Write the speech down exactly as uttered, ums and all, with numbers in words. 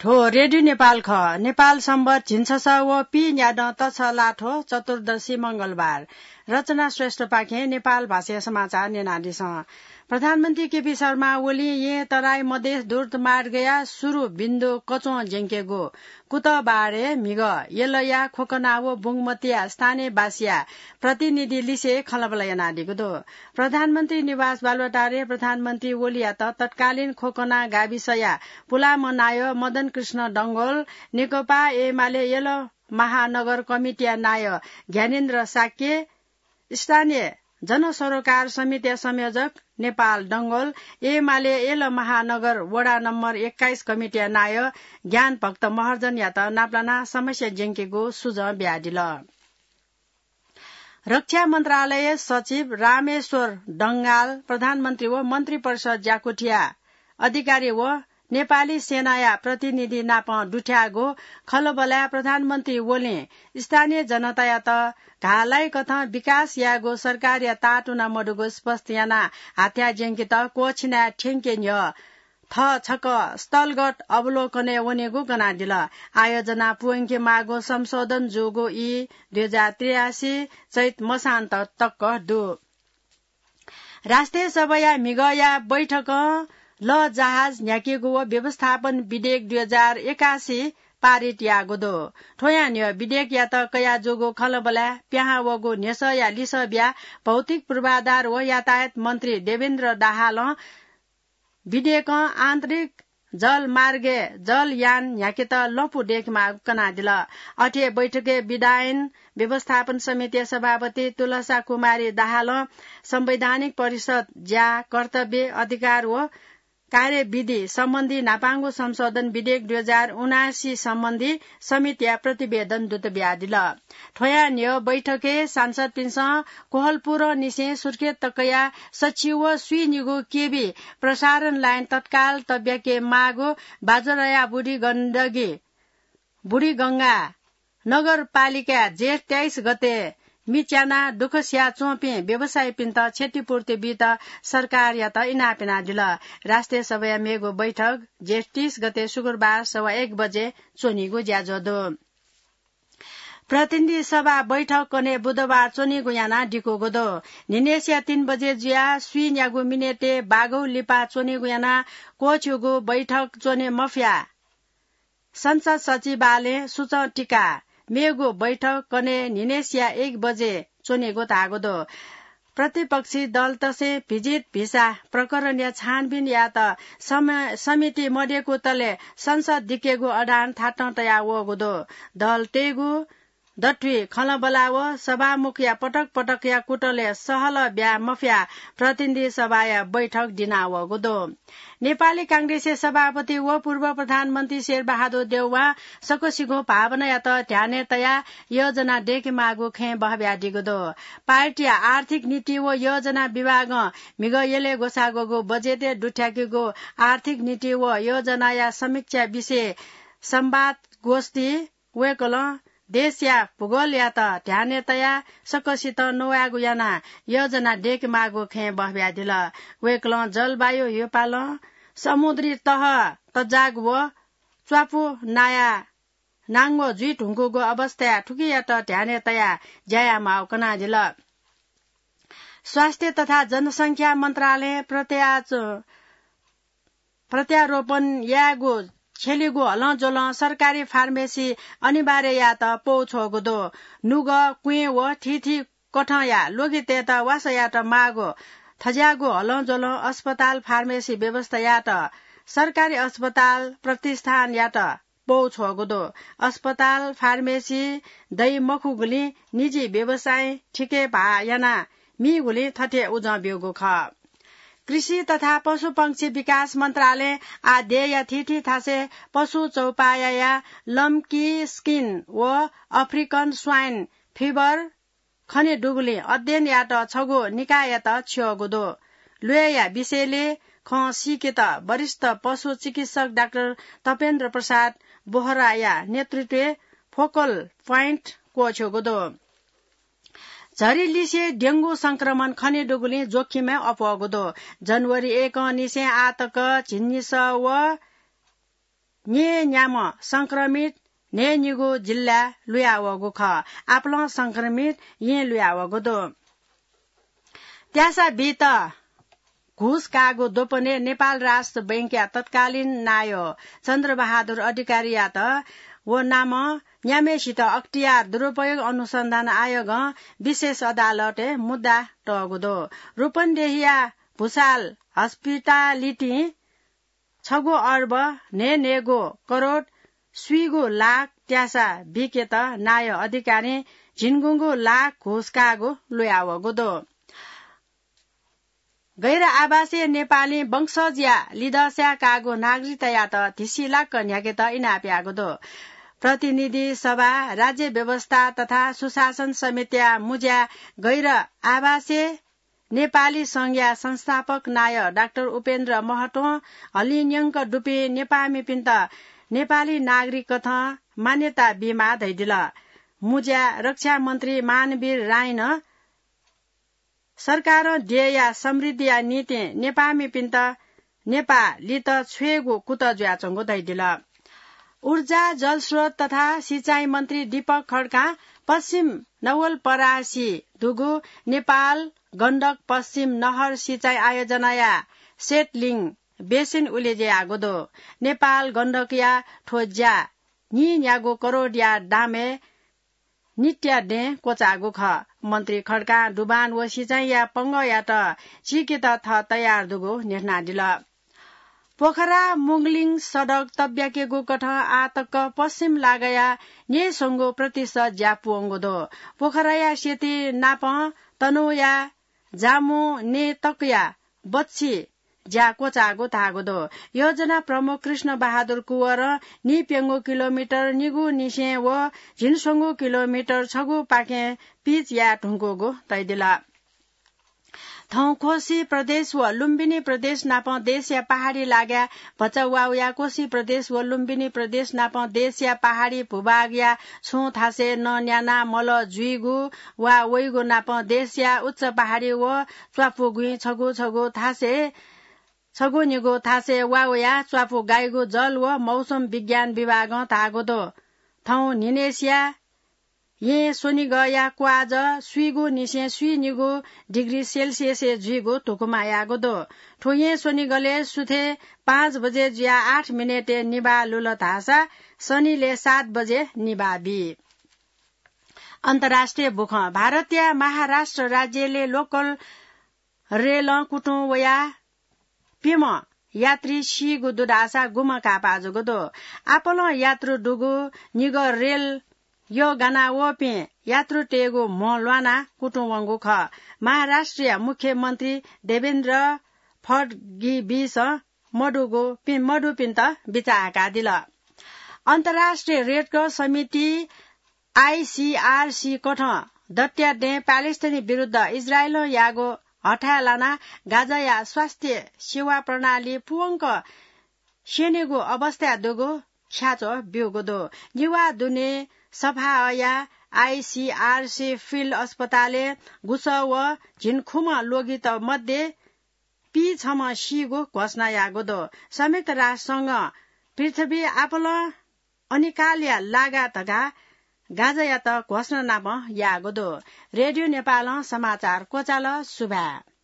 थ्व रेडियो नेपाल खः। नेपाल सम्बत झिंछसः व पीन्यादँ तछलाथ्व चतुर्दशी मंगलबार। रचना श्रेष्ठपाखें नेपाल भाषाया समाचार न्यनादिसँ। प्रधानमन्त्री केपी शर्मा ओलीं येँ तराई मधेस द्रुत मार्गया सुरु बिन्दु कच्वं ज्यंकेगु। कुतः बारे म्हिगः यलया खोकना व बुंगमतीया स्थानीयवासीया प्रतिनिधि लिसे खँल्हाबल्हा यानादीगु दु। प्रधानमन्त्री निवास बालुवाटारय् प्रधानमन्त्री ओलीयात तत्कालीन खोकना गाविसया पुलाम नायः मदन कृष्ण डंगोल, नेकपा एमाले यल महानगर कमिटीया नायः ज्ञानेन्द्र शाक्य, स्थानीय जनसरोकार समितिया संयोजक नेपाल डंगोल, एमाले यल महानगर वडा नम्बर एक्काइस कमिटीया नायः ज्ञानभक्त महर्जनयात नापलानाः समस्या ज्यंकेगु सुझाव बियादिल। रक्षा मन्त्रालय सचिव रामेश्वर डंगाल, प्रधानमन्त्री व मन्त्री परिषद ज्याकुथिया अधिकारी व नेपाली सेनाया प्रतिनिधि नाप दुथ्याःगु खँल्हाबल्हाय् प्रधानमन्त्री ओलीं स्थानीय जनतायात घाःलाइकथं विकास यायेगु सरकारया ताःतुना मदुगु स्पष्ट यानाः हाथ्याः ज्यंकेत क्वःछिनाय् थ्यंके न्ह्यः थः छकः स्थलगत अवलोकनय् वनेगु कनादिल। आयोजना पूवंके माःगु संशोधन जूगु ई दुई हजार त्रियासी चैत मसान्त तक दु। राष्ट्रिय सभाया म्हिगःया बैठकं लःजहाज न्ह्याकेगु व व्यवस्थापन विधेयक दुई हजार एकासी पारित याःगु दु। थ्वयां न्ह्यः विधेयकयात कयाजूगु खँल्हाबल्हाय् पिहां वःगु न्ह्यसःया लिसः बियाः भौतिक पूर्वाधार व यातायात मन्त्री देवेन्द्र दाहालं विधेयकं आन्तरिक जलमार्गय् जलयान न्ह्याकेत लँपु दय्केमाःगु कनादिल। अथे बैठकय् विधायन व्यवस्थापन समितिया सभापति तुलसा कुमारी दाहालं संवैधानिक परिषद ज्या, कर्तव्य, अधिकार व कार्यविधि सम्बन्धी न्हापांगु संशोधन विधेयक दुई हजार उनासी सम्बन्धी समितिया प्रतिवेदन दुत बियादिल। थ्वयां न्ह्यः बैठकय् सांसदपिन्सं कोहलपुरंनिसें सुर्खेत तकया सछि व स्वीनिगू केबी प्रसारण लाइन तत्काल तब्याके माःगु बाजुराया बुढी गण्डकी, बुढीगंगा नगरपालिकाय् जेठ तेइस गते मिच्यानाः दुःख सियाच्वंपिं व्यवसायीपिन्त क्षतिपूर्ति बीत सरकारयात इनाप यानादिल। राष्ट्रिय सभाया मेगु बैठक जेठ तीस गते शुक्रबार सवा एक बजे च्वनीगु ज्याझ्वः दु। प्रतिनिधि सभा बैठक कन्हय् बुधबार च्वनीगु यानाः दिकूगु दु। न्हिनय्सिया तीन बजे जुयाः स्वीन्यागू मिनेटय् बाघौ लिपा च्वनीगु यानाः क्वःछ्यूगु बैठक च्वने मफया। संसद सचिवालयं सुचं तिकाः मेगु बैठक कन्हय् न्हिनय्सिया एक बजे च्वनीगु धाःगु दु। प्रतिपक्षी दलतय्सं भिजित भिसा प्रकरणया छानबिन यायेत सम-, समिति मदय्कूतले संसद दिकेगु अडान थातं तयावःगु दु। दलतय्गु दथुइ खँल्हाबल्हा व सभामुखया पटक पटकया कुतलय् सहलह ब्याये मफयाः प्रतिनिधि सभाया बैठक दिनावःगु दु। नेपाली कांग्रेसया सभापति व पूर्व प्रधानमन्त्री शेरबहादुर देउवां सकसिगुं भावनायात ध्यानय् तयाः योजना दय्केमाःगु खँय् बहब्यादीगु दु। पार्टीया आर्थिक नीति व योजना विभागं म्हिगः यलय् ग्वसाः ग्वःगु बजेटय् दुथ्याकेगु आर्थिक नीति व योजनाया समीक्षा विषय संवाद गोष्ठी वय्कलं देशया भूगोलयात ध्यानय् तयाः सकसितं नवायेगु यानाः योजना दय्केमाःगु खँय् बहब्यादिल। वय्कलं जलवायु ह्यूपालं समुद्री तह तजाग व च्वापु नाया नांगो जुइधुंकूगु अवस्थाय् थुकियात ध्यानय् तयाः ज्या यायेमाःगु कनादिल। स्वास्थ्य तथा जनसंख्या मन्त्रालयं प्रत्याच-, प्रत्यारोपण यायेगु छ्यलीगु हलंज्वलं सरकारी फार्मेसी अनिवार्य यायेत पौ छ्वःगु दु। नुगः, क्वें व थीथी कथंया ल्वगितय्त वासः यायेत माःगु थज्याःगु हलंज्वलं अस्पताल फार्मेसी व्यवस्था यायेत सरकारी अस्पताल प्रतिष्ठानयात पौ छ्वःगु दु। अस्पताल फार्मेसी दइ मखुगुलिं निजी व्यवसायी ठिकय् भाः यानाः मीगुलिं थथे उजं ब्यूगु खः। कृषि तथा पशुपक्षी विकास मन्त्रालयं आः देय्या थीथी थासय् पशु चौपायाया लम्की स्किन व अफ्रिकन स्वाइन फिभर खने दुगुलिं अध्ययन यायेत छगू निकाययात छ्यःगु दु। ल्वय्या विषयलय् खँ सीकेत वरिष्ठ पशु चिकित्सक डाक्टर तपेन्द्र प्रसाद बोहराया नेतृत्वय् फोकल प्वाइन्ट क्वःछ्यूगु दु। झरी लिसे डेंगू संक्रमण खने दुगुलिं जोखिमय् अप्वःगु दु। जनवरी एकंनिसें आः तक झिंनिसः व न्येन्याम्ह संक्रमित न्हय्‌निगू जिल्लाय् लुयावःगु खः। आपालं संक्रमित येँ लुयावःगु दु। त्यासा बीत घुस काःगु द्वपनय् नेपाल राष्ट्र बैंकया तत्कालीन नायः चन्द्रबहादुर अधिकारीयात व नामं न्याम्हय्‌सित अख्तियार दुरुपयोग अनुसन्धान आयोगं विशेष अदालतय् मुद्दा तःगु दु। रूपन्देहीया भुसाल हस्पिटालिटीं छगू अर्ब न्हय्‌न्हय्‌गू करोड स्वीगू लाख त्यासा बीकेत नायः अधिकारीं झिंगुंगू लाख घुस काःगु लुयावःगु दु। गैर आवासीय नेपाली वंशजया लिदँस्यां काःगु नागरिकतायात धिसिलाक्क न्ह्याकेत इनाप याःगु दु। प्रतिनिधि सभा, राज्य व्यवस्था तथा सुशासन समितिया मुज्या गैर आवासीय नेपाली संघया संस्थापक नायः डाक्टर उपेन्द्र महतों हलिंन्यंक दुपिं नेपाःमिपिन्त नेपाली नागरिक कथं मान्यता बीमाः धयादिल। मुज्या रक्षा मन्त्री मानवीर राईं नं सरकारं देय्‌या समृद्धिया निंतिं नेपाःमिपिन्त नेपाः लित छ्वयेगु कुतः जुयाच्वंगु धयादिल। ऊर्जा, जलस्रोत तथा सिँचाइ मन्त्री दीपक खड्कां पश्चिम नवलपरासी दुगु नेपाल गण्डक पश्चिम नहर सिँचाइ आयोजनाया सेटलिङ बेसिन उलेज्या याःगु दु। नेपाल गण्डकया थ्व ज्या नीन्यागू करोडया दामय् नित्या दँय् क्वचाःगु खः। मन्त्री खड्कां डुबान व सिँचाइया पंगःयात चीकेत थः तयार दुगु न्ह्यथनादिल। पोखरा मुगलिङ सडक तब्याकेगु कथं आः तक पश्चिम लागाया न्यय्‌स्वंगू प्रतिशत ज्या पूवंगु दु। पोखराया सेती नापं तनहुँया जामुने तकया बच्छि ज्या क्वचाःगु धाःगु दु। योजना प्रमुख कृष्ण बहादुर कुँवरं नीप्यंगू किलोमिटर निगूनिसें व झिंस्वंगू किलोमिटर छगू पाखें पिच याये धुंकूगु धयादिल। थौं कोशी प्रदेश व लुम्बिनी प्रदेश नापं देशया पहाडी लागाय् भचा वा वया। कोशी प्रदेश व लुम्बिनी प्रदेश नापं देशया पहाडी भूभागया छुं थासय् नं न्यानाः मलः जुइगु वा वइगु नापं देशया उच्च पहाडी व च्वापुगुइँ छगू छगू थासय् छगू निगू थासय् वा वया। च्वापु गाइगु जल व मौसम विज्ञान विभागं धाःगु दु। थौं न्हिनय्‌सिया येँ स्वनिगःया क्वाःजः स्वीगूनिसें स्वीनिगू डिग्री सेल्सियसय् जुइगु धुकुमा याःगु दु। थ्व येँ स्वनिगलय् सुथय् पाँच बजे जुयाः आठ मिनेटय् निभाः लुल धाःसा सनिलय् सात बजे निभाः बी। अन्तर्राष्ट्रिय बुखँ। भारतया महाराष्ट्र राज्यलय् लोकल रेलं कुतुं वयाः प्यम्ह यात्री सीगु दु धाःसा गुम्ह काःपाः जूगु दु। आपालं यात्रु दुगु निगः रेल यः गाना वःपिं यात्रुतय्‌गु म्ह ल्वानाः कुतुं वंगु खः। महाराष्ट्रया मुख्यमन्त्री देवेन्द्र फडगिबिसं मदुगु पि-, मदुपिन्त बिचाः हाकादिल। अन्तर्राष्ट्रिय रेड क्रस समिति आइसिआरसी कथं दत्या दँय् प्यालेस्टाइन विरुद्ध इजरायलं याःगु हथाय् लानाः गाजाया स्वास्थ्य सेवा प्रणाली पूवंक स्यनेगु अवस्थाय् दुगु ख्याच्वः ब्यूगु दु। निभाः दुने सफाहया आइसिआरसी फिल्ड अस्पतालय् गुसः व झिंखुम्ह लोगित मध्ये पीछम्ह सीगु घोषणा याःगु दु। संयुक्त राष्ट्र संघं पृथ्वी आपालं अनिकालया लागा धकाः गाजायात घोषणा नापं याःगु दु। रेडियो नेपालं समाचार क्वचाल। सुभाय्।